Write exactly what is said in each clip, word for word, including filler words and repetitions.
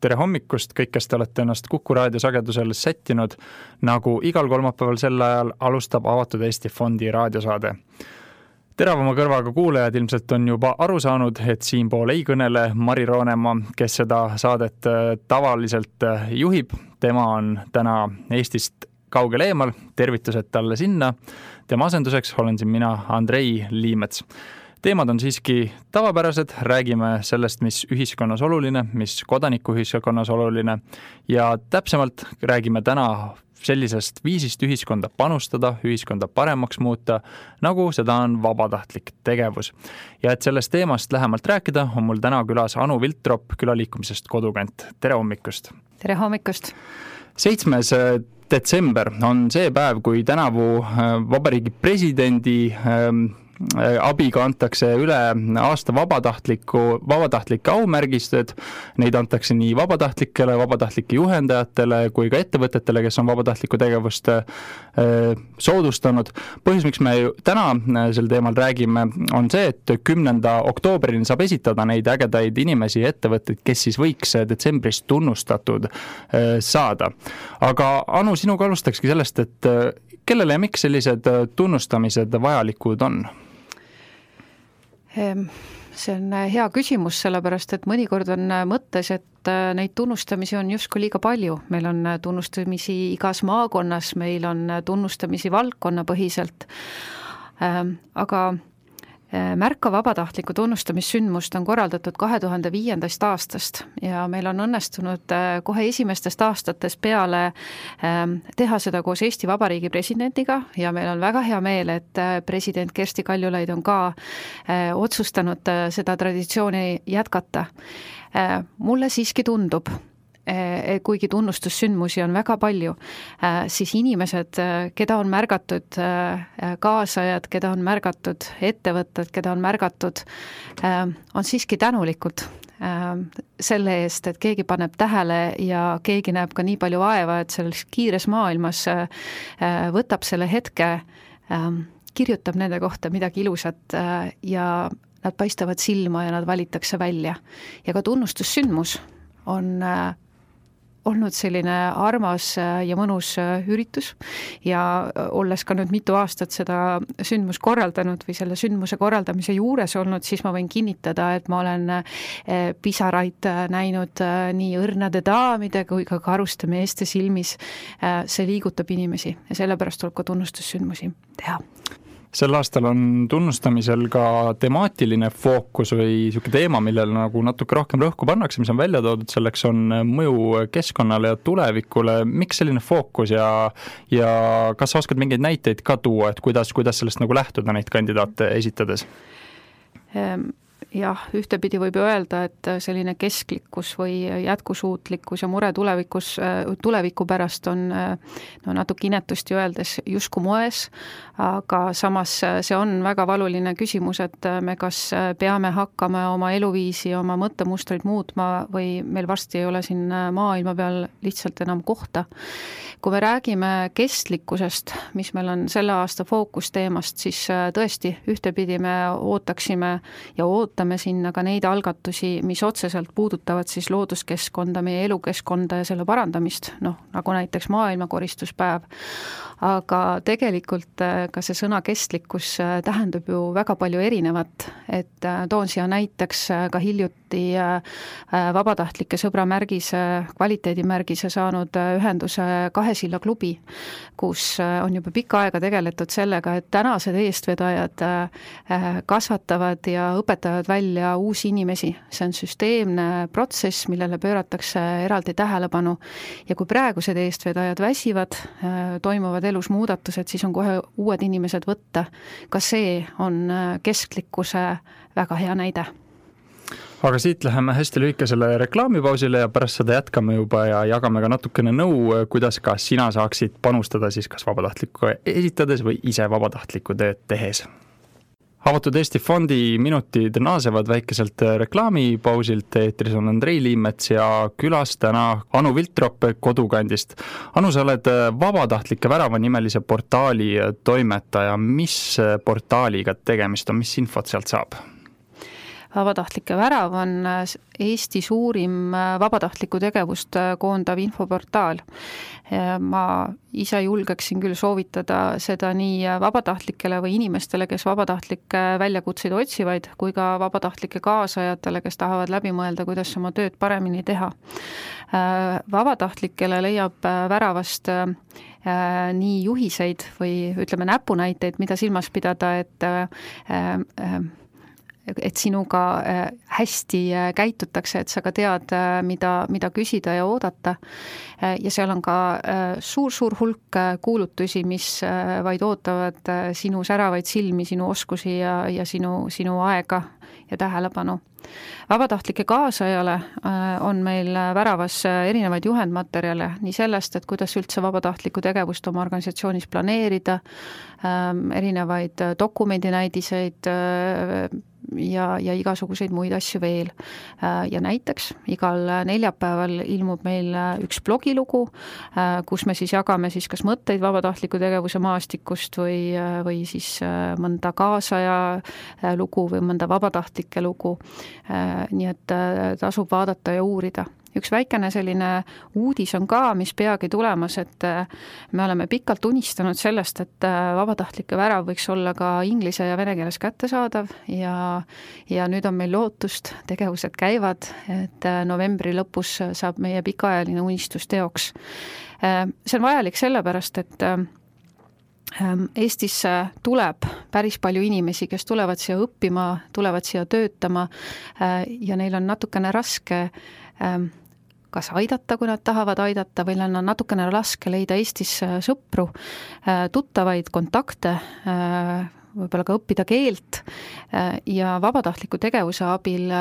tere hommikust, kõik, kes te olete ennast Kuku raadio sagedusel sättinud, nagu igal kolmapäeval sel ajal alustab Avatud Eesti Fondi raadiosaade. Teravama kõrvaga kuulajad ilmselt on juba aru saanud, et siinpool ei kõnele Mari Roonemaa, kes seda saadet tavaliselt juhib. Tema on täna Eestist kaugel eemal, tervitused talle sinna. Tema asenduseks olen siin mina, Andrei Liimets. Teemad on siiski tavapärased, räägime sellest, mis ühiskonnas oluline, mis kodanikuühiskonnas oluline ja täpsemalt räägime täna sellisest viisist ühiskonda panustada, ühiskonda paremaks muuta, nagu seda on vabatahtlik tegevus. Ja et sellest teemast lähemalt rääkida, on mul täna külas Anu Viltrop külaliikumisest Kodukant. Tere hommikust! Tere hommikust! seitsmes detsember on see päev, kui tänavu vabariigi presidendi abiga antakse üle aasta vabatahtliku, vabatahtlike aumärgistused. Neid antakse nii vabatahtlikele, vabatahtlike juhendajatele kui ka ettevõtetele, kes on vabatahtlikku tegevust soodustanud. Põhjus, miks me täna sel teemal räägime, on see, et kümnenda oktoobril saab esitada neid ägedaid inimesi ja ettevõtteid, kes siis võiks detsembris tunnustatud saada. Aga Anu, sinuga alustakski sellest, et kellele ja miks sellised tunnustamised vajalikud on? See on hea küsimus, sellepärast, et mõnikord on mõttes, et neid tunnustamisi on justkui liiga palju. Meil on tunnustamisi igas maakonnas, meil on tunnustamisi valdkonnapõhiselt, aga Märka vabatahtliku tunnustamissündmust on korraldatud kahe tuhande viiendast aastast ja meil on õnnestunud kohe esimestest aastates peale teha seda koos Eesti Vabariigi presidendiga ja meil on väga hea meel, et president Kersti Kaljulaid on ka otsustanud seda traditsiooni jätkata. Mulle siiski tundub, kuigi tunnustussündmusi on väga palju, siis inimesed, keda on märgatud, kaasajad, keda on märgatud, ettevõtted, keda on märgatud, on siiski tänulikud selle eest, et keegi paneb tähele ja keegi näeb ka nii palju vaeva, et selles kiires maailmas võtab selle hetke, kirjutab nende kohta midagi ilusat ja nad paistavad silma ja nad valitakse välja. Ja ka tunnustussündmus on olnud selline armas ja mõnus üritus ja olles ka nüüd mitu aastat seda sündmus korraldanud või selle sündmuse korraldamise juures olnud, siis ma võin kinnitada, et ma olen pisaraid näinud nii õrnade daamide kui ka karuste meeste silmis. See liigutab inimesi ja sellepärast tuleb ka tunnustussündmusi teha. Sel aastal on tunnustamisel ka temaatiline fookus või niisugune teema, millele nagu natuke rohkem rõhku pannakse, mis on välja toodud, selleks on mõju keskkonnale ja tulevikule. Miks selline fookus ja, ja kas sa oskad mingeid näiteid ka tuua, et kuidas, kuidas sellest nagu lähtuda neid kandidaate esitades? Jah, ühtepidi võib öelda, et selline kesklikkus või jätkusuutlikkus ja mure tulevikus, tuleviku pärast on no, natuke inetusti öeldes jusku moes, aga samas see on väga valuline küsimus, et me kas peame hakkama oma eluviisi, oma mõttemustreid muutma või meil varsti ei ole siin maailma peal lihtsalt enam kohta. Kui me räägime kestlikkusest, mis meil on selle aasta fookusteemast, siis tõesti ühtepidi me ootaksime ja ootame sinna ka neid algatusi, mis otseselt puudutavad siis looduskeskkonda, meie elukeskkonda ja selle parandamist, noh, nagu näiteks maailmakoristuspäev. Aga tegelikult ka see sõna kestlikkus tähendab ju väga palju erinevat, et toon siia näiteks ka hiljuti vabatahtlike sõbramärgise, kvaliteedimärgise saanud ühenduse Kahesilla klubi, kus on juba pikka aega tegeletud sellega, et tänased eestvedajad kasvatavad ja õpetavad välja uusi inimesi. See on süsteemne protsess, millele pööratakse eraldi tähelepanu ja kui praegused eestvedajad väsivad, toimuvad elus muudatused, siis on kohe uued inimesed võtta. Ka see on kesklikkuse väga hea näide. Aga siit läheme hästi lühikesele reklaamipausile ja pärast seda jätkame juba ja jagame ka natukene nõu, kuidas ka sina saaksid panustada siis kas vabatahtlikku esitades või ise vabatahtlikku tööd tehes. Avatud Eesti Fondi minutid naasevad väikeselt reklaamipausilt. Eetris on Andrei Liimets ja külas täna Anu Viltrop Kodukandist. Anu, sa oled vabatahtlike värava nimelise portaali toimetaja. Mis portaaliga tegemist on, mis infot sealt saab? Vabatahtlike värav on Eesti suurim vabatahtlikku tegevust koondav infoportaal. Ma ise julgeksin küll soovitada seda nii vabatahtlikele või inimestele, kes vabatahtlikke väljakutseid otsivaid, kui ka vabatahtlike kaasajatele, kes tahavad läbi mõelda, kuidas oma tööd paremini teha. Vabatahtlikele leiab väravast nii juhiseid või ütleme näpunäiteid, mida silmas pidada, et et sinuga hästi käitutakse, et sa ka tead, mida, mida küsida ja oodata. Ja seal on ka suur-suur hulk kuulutusi, mis vaid ootavad sinu säravaid silmi, sinu oskusi ja, ja sinu, sinu aega ja tähelepanu. Vabatahtlike kaasajale on meil väravas erinevaid juhendmaterjale, nii sellest, et kuidas üldse vabatahtlikku tegevust oma organisatsioonis planeerida, erinevaid dokumendinäidiseid ja, ja igasuguseid muid asju veel. Ja näiteks igal neljapäeval ilmub meil üks blogilugu, kus me siis jagame siis kas mõtteid vabatahtliku tegevuse maastikust või, või siis mõnda kaasaja lugu või mõnda vabatahtlike lugu. Nii et tasub vaadata ja uurida. Üks väikene selline uudis on ka, mis peagi tulemas, et me oleme pikalt unistanud sellest, et vabatahtlike värav võiks olla ka inglise ja vene keeles kättesaadav ja, ja nüüd on meil lootust, tegevused käivad, et novembri lõpus saab meie pikaajaline unistus teoks. See on vajalik sellepärast, et Eestisse tuleb päris palju inimesi, kes tulevad siia õppima, tulevad siia töötama ja neil on natukene raske kas aidata, kui nad tahavad aidata, või on natukene raske leida Eestis sõpru, tuttavaid kontakte, võib-olla ka õppida keelt ja vabatahtliku tegevuse abil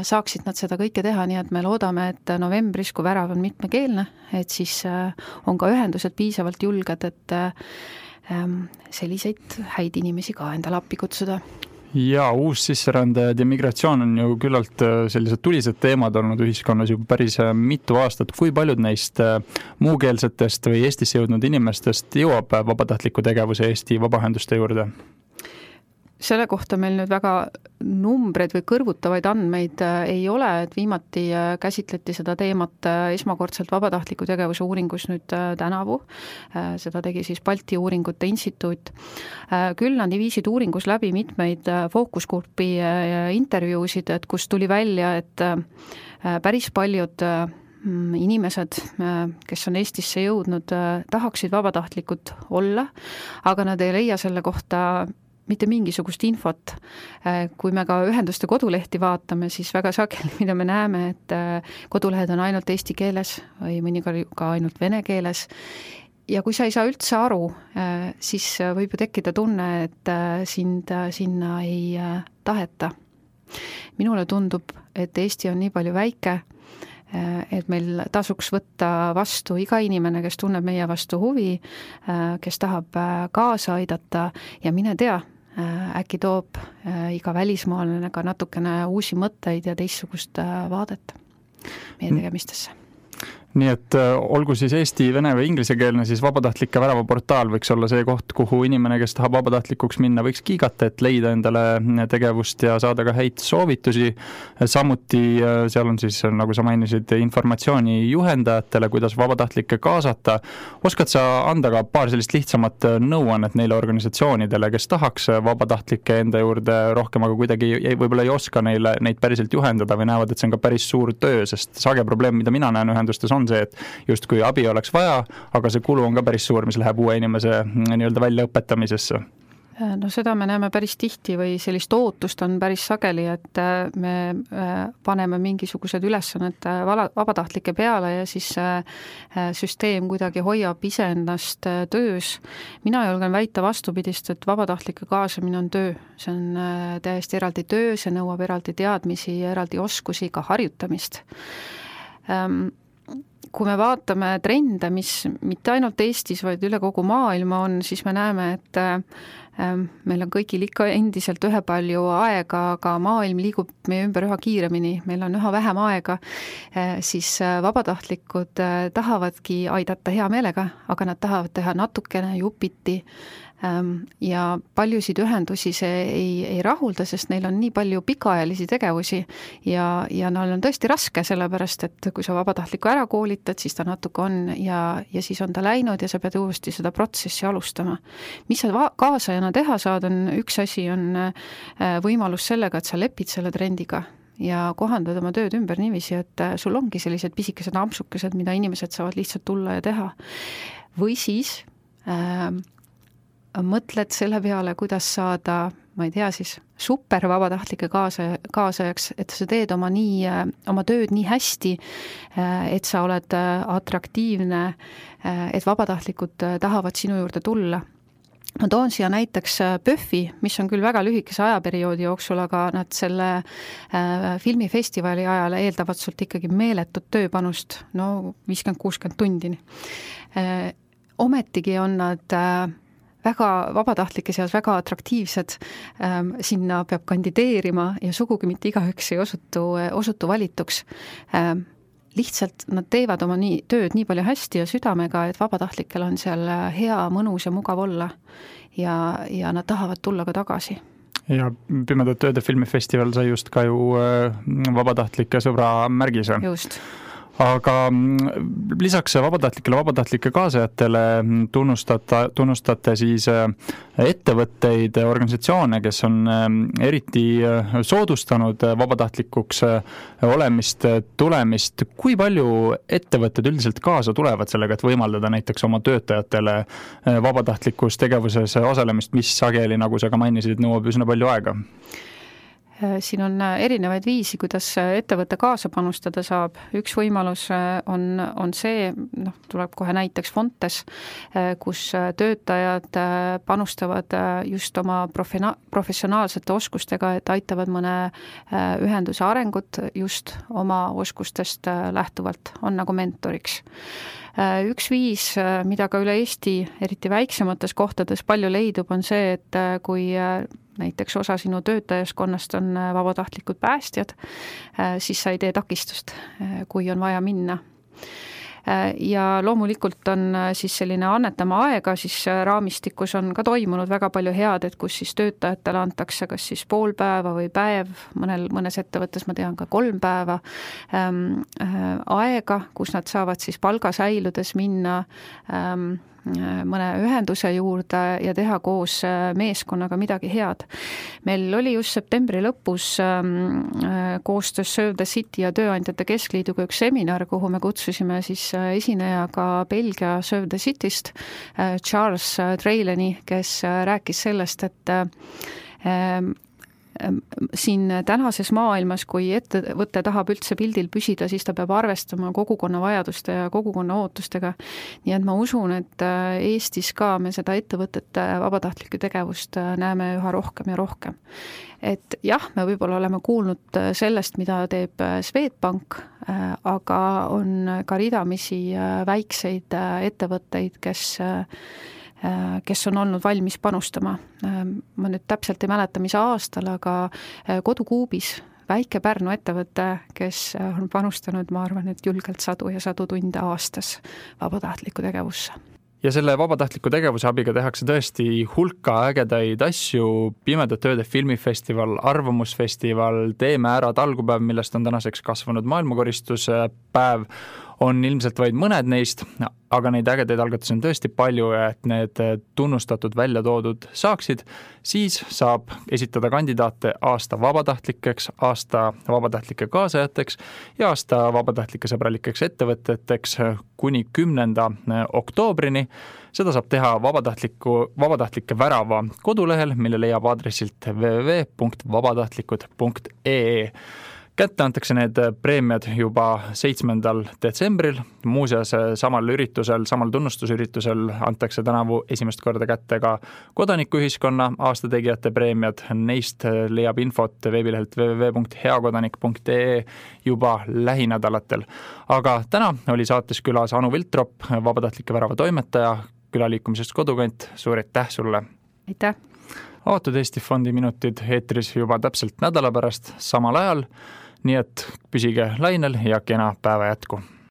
saaksid nad seda kõike teha, nii et me loodame, et novembris, kui värav on mitmekeelne, et siis on ka ühendused piisavalt julged, et selliseid häid inimesi ka endale appi kutsuda. Ja uus sisserändajad ja migratsioon on ju küllalt sellised tulised teemad olnud ühiskonnas juba päris mitu aastat. Kui paljud neist muukeelsetest või Eestisse jõudnud inimestest jõuab vabatahtliku tegevuse Eesti vabaühenduste juurde? Selle kohta meil nüüd väga numbreid või kõrvutavaid andmeid ei ole, et viimati käsitleti seda teemat esmakordselt vabatahtliku tegevuse uuringus nüüd tänavu. Seda tegi siis Balti uuringute instituut. Küll nad viisid uuringus läbi mitmeid fookusgrupi intervjuusid, et kus tuli välja, et päris paljud inimesed, kes on Eestisse jõudnud, tahaksid vabatahtlikud olla, aga nad ei leia selle kohta mitte mingisugust infot. Kui me ka ühenduste kodulehti vaatame, siis väga sageli, mida me näeme, et kodulehed on ainult eesti keeles või mõnikord ka ainult vene keeles. Ja kui sa ei saa üldse aru, siis võib ju tekkida tunne, et sind sinna ei taheta. Minule tundub, et Eesti on nii palju väike, et meil tasuks võtta vastu iga inimene, kes tunneb meie vastu huvi, kes tahab kaasa aidata ja mine tea, äkki toob iga välismaalane ka natukene uusi mõtteid ja teistsugust vaadet meie tegemistesse. Nii et olgu siis eesti, vene või inglisekeelne, siis vabatahtlike värava portaal võiks olla see koht, kuhu inimene, kes tahab vabatahtlikuks minna, võiks kiigata, et leida endale tegevust ja saada ka häid soovitusi. Samuti seal on siis, nagu sa mainisid, informatsiooni juhendajatele, kuidas vabatahtlikke kaasata. Oskad sa anda ka paar sellist lihtsamat nõuannet neile organisatsioonidele, kes tahaks vabatahtlikke enda juurde rohkem, aga kuidagi võib-olla ei oska neile, neid päriselt juhendada või näevad, et see on ka päris suur töö, sest sage probleem, mida mina näen ühendustes on see, et just kui abi oleks vaja, aga see kulu on ka päris suur, mis läheb uue inimese nii-öelda väljaõpetamisesse. No seda me näeme päris tihti või sellist ootust on päris sageli, et me paneme mingisugused ülesanned vabatahtlike peale ja siis süsteem kuidagi hoiab iseennast töös. Mina julgen väita vastupidist, et vabatahtlike kaasamine on töö. See on täiesti eraldi töö, see nõuab eraldi teadmisi, eraldi oskusi, ka harjutamist. Kui me vaatame trende, mis mitte ainult Eestis, vaid üle kogu maailma on, siis me näeme, et meil on kõigil ikka endiselt ühepalju aega, aga maailm liigub meie ümber üha kiiremini, meil on üha vähem aega, siis vabatahtlikud tahavadki aidata hea meelega, aga nad tahavad teha natukene jupiti ja paljusid ühendusi see ei, ei rahulda, sest neil on nii palju pikaajalisi tegevusi ja, ja neil on tõesti raske, sellepärast et kui sa vabatahtliku ära koolitad, siis ta natuke on ja, ja siis on ta läinud ja sa pead uuesti seda protsessi alustama. Mis sa kaasajana teha saad, on üks asi on võimalus sellega, et sa lepid selle trendiga ja kohandad oma tööd ümber niiviisi, et sul ongi sellised pisikesed ampsukesed, mida inimesed saavad lihtsalt tulla ja teha. Või siis äh, mõtled selle peale, kuidas saada, ma ei tea siis, super vabatahtlike kaasa, kaasajaks, et sa teed oma, nii, oma tööd nii hästi, et sa oled atraktiivne, et vabatahtlikud tahavad sinu juurde tulla. Ma toon siia näiteks Pöffi, mis on küll väga lühikese ajaperioodi jooksul, aga nad selle filmifestivali ajal eeldavad sult ikkagi meeletut tööpanust, no viiskümmend kuuskümmend tundini. Ometigi on nad väga vabatahtlike seas väga atraktiivsed, ähm, sinna peab kandideerima ja sugugi mitte igaüks ei osutu, osutu valituks. Ähm, lihtsalt nad teevad oma nii, tööd nii palju hästi ja südamega, et vabatahtlikel on seal hea, mõnus ja mugav olla ja, ja nad tahavad tulla ka tagasi. Ja Pimedad tööde filmifestival sai just ka ju vabatahtlike sõbra märgise. Just. Aga lisaks vabatahtlikele vabatahtlike kaasajatele tunnustate, tunnustate siis ettevõtteid, organisatsioone, kes on eriti soodustanud vabatahtlikuks olemist, tulemist. Kui palju ettevõtted üldiselt kaasa tulevad sellega, et võimaldada näiteks oma töötajatele vabatahtlikus tegevuses osalemist, mis sageli, nagu sa ka mainisid, nõuab üsna palju aega? Siin on erinevaid viisi, kuidas ettevõtte kaasa panustada saab. Üks võimalus on, on see, noh, tuleb kohe näiteks Fontes, kus töötajad panustavad just oma profina- professionaalsete oskustega, et aitavad mõne ühenduse arengut just oma oskustest lähtuvalt, on nagu mentoriks. Üks viis, mida ka üle Eesti, eriti väiksemates kohtades palju leidub, on see, et kui näiteks osa sinu töötajaskonnast on vabatahtlikud päästjad, siis sa ei tee takistust, kui on vaja minna. Ja loomulikult on siis selline annetama aega, siis raamistikus on ka toimunud väga palju head, et kus siis töötajatele antakse kas siis pool päeva või päev, mõnel, mõnes ettevõttes ma tean ka kolm päeva ähm, äh, aega, kus nad saavad siis palga säiludes minna ähm, mõne ühenduse juurde ja teha koos meeskonnaga midagi head. Meil oli just septembri lõpus koostöös Serve the City ja Tööandjate Keskliiduga üks seminar, kuhu me kutsusime siis esinejaga Belgia Serve the Cityst, Charles Treileni, kes rääkis sellest, et siin tänases maailmas, kui ettevõte tahab üldse pildil püsida, siis ta peab arvestama kogukonna vajaduste ja kogukonna ootustega. Nii et ma usun, et Eestis ka me seda ettevõtete vabatahtlikku tegevust näeme üha rohkem ja rohkem. Et jah, me võib-olla oleme kuulnud sellest, mida teeb Swedbank, aga on ka ridamisi väikseid ettevõtteid, kes kes on olnud valmis panustama. Ma nüüd täpselt ei mäleta, mis aastal, aga Kodukuubis väike Pärnu ettevõte, kes on panustanud, ma arvan, et julgelt sadu ja sadu tunde aastas vabatahtliku tegevusse. Ja selle vabatahtliku tegevuse abiga tehakse tõesti hulka ägedaid asju, Pimedad tööde filmifestival, arvamusfestival, Teeme ära talgupäev, millest on tänaseks kasvanud maailmakoristuspäev, on ilmselt vaid mõned neist, aga neid ägedaid algatusi on tõesti palju ja et need tunnustatud välja toodud saaksid, siis saab esitada kandidaate aasta vabatahtlikeks, aasta vabatahtlike kaasajateks ja aasta vabatahtlike sõbralikeks ettevõteteks kuni kümnenda oktoobrini. Seda saab teha vabatahtliku, vabatahtlike värava kodulehel, mille leiab aadressilt w w w punkt vabatahtlikud punkt e e. Kätte antakse need preemiad juba seitsmendal detsembril. Muuseas, samal üritusel, samal tunnustusüritusel antakse tänavu esimest korda kätte ka kodanikuühiskonna aastategijate preemiad. Neist leiab infot veebilehelt w w w punkt heakodanik punkt e e juba lähinädalatel. Aga täna oli saates külas Anu Viltrop, vabatahtlike värava toimetaja, külaliikumisest Kodukant. Suur aitäh sulle! Aitäh! Avatud Eesti Fondi minutid eetris juba täpselt nädala pärast samal ajal, nii et püsige lainel ja kena päeva jätku!